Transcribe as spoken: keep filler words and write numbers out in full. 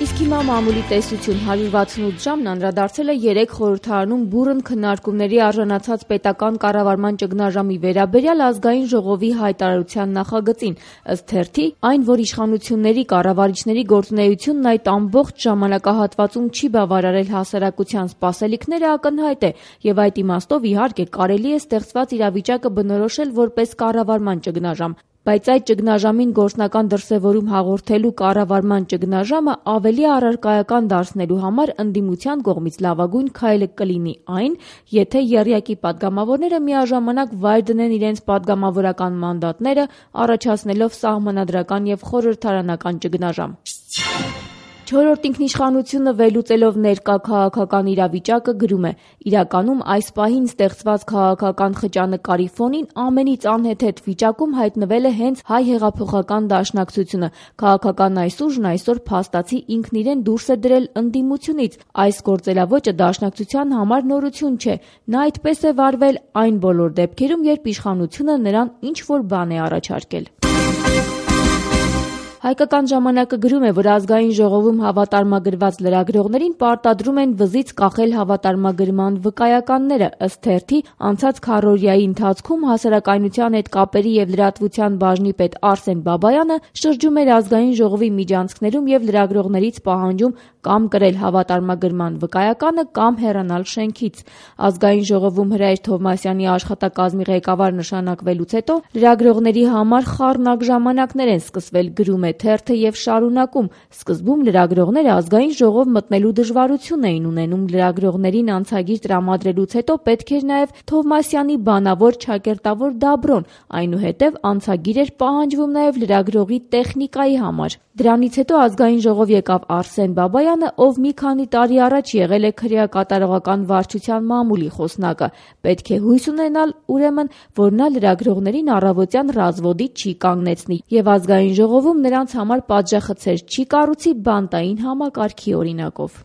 Իսկ հիմա մամուլի տեսություն հարյուր վաթսունութ ժամն անդրադարձել է երեք խորհրդարանում բուռն քննարկումների արժանացած պետական կառավարման ճգնաժամի վերաբերյալ ազգային ժողովի հայտարարության նախագծին, ըստ թերթի, այն, որ իշխանությունների կառավարիչների գործունեությունն այդ ամբողջ ժամանակահատվածում չի բավարարել հասարակության սպասելիքները, ակնհայտ է, եւ այդ իմաստով իհարկե կարելի է ստեղծված իրավիճակը բնորոշել որպես կառավարման ճգնաժամ։ Բայց այդ ճգնաժամին գործնական դրսևորում հաղորդելու կառավարման ճգնաժամը ավելի առարկայական դարձնելու համար ընդդիմության կողմից լավագույն քայլը կլինի այն, եթե եռյակի պատգամավորները միաժամանակ վայր դնեն իրենց պատգամավորական մանդատները, առաջացնելով սահմանադրական եւ խորհրդարանական ճգնաժամ։ Չորրորդ ինքնիշխանությունը վերլուծելով ներկա քաղաքական իրավիճակը գրում է. իրականում այս պահին ստեղծված քաղաքական խճանկարի ֆոնին ամենից անհեթեթ վիճակում հայտնվել է հենց հայ հեղափոխական դաշնակցությունը։ Քաղաքական այս ուժն այսօր փաստացի ինքն իրեն դուրս է դրել ընդդիմությունից։ Այս գործելավոճը դաշնակցության համար նորություն չէ։ Նա այդպես է վարվել այն բոլոր դեպքերում, երբ իշխանությունը նրան ինչ-որ բան է առաջարկել։ Հայկական ժամանակը գրում է, որ ազգային ժողովում հավատարմագրված լրագրողներին պարտադրում են վզից կախել հավատարմագրման վկայականները։ Ըստ թերթի, անցած քառօրյայի ընթացքում հասարակայնության հետ կապերի եւ լրատվության բաժնի պետ Արսեն Բաբայանը շրջում էր ազգային ժողովի միջանցքներում եւ լրագրողներից պահանջում կամ կրել հավատարմագրման վկայականը կամ հեռանալ շենքից։ Ազգային ժողովում Հրայր Թովմասյանի աշխատակազմի ղեկավար նշանակվելուց հետո լրագրողների համար խառնակ ժամանակներ են սկսվել, գրում է թերթը եւ շարունակում. սկզբում լրագրողները ազգային ժողով մտնելու դժվարություն էին ունենում, լրագրողներին անցագիր տրամադրելուց հետո պետք էր նաեւ Թովմասյանի բանավոր ճակերտավոր դաբրոն, այնուհետեւ անցագիր էր պահանջվում նաեւ լրագրողի տեխնիկայի համար։ Դրանից հետո ազգային ժողով եկավ Արսեն Բաբայանը, ով մի քանի տարի առաջ եղել է քրեակատարողական վարչության մամուլի խոսնակը։ Պետք է հույս ունենալ, ուրեմն, որ նա լրագրողներին առավոտյան ռազվոդի չի կանգնեցնի եւ ազգային ժողովում նրանց համար պատժախցեր չի կառուցի բանտային համակարգի օրինակով։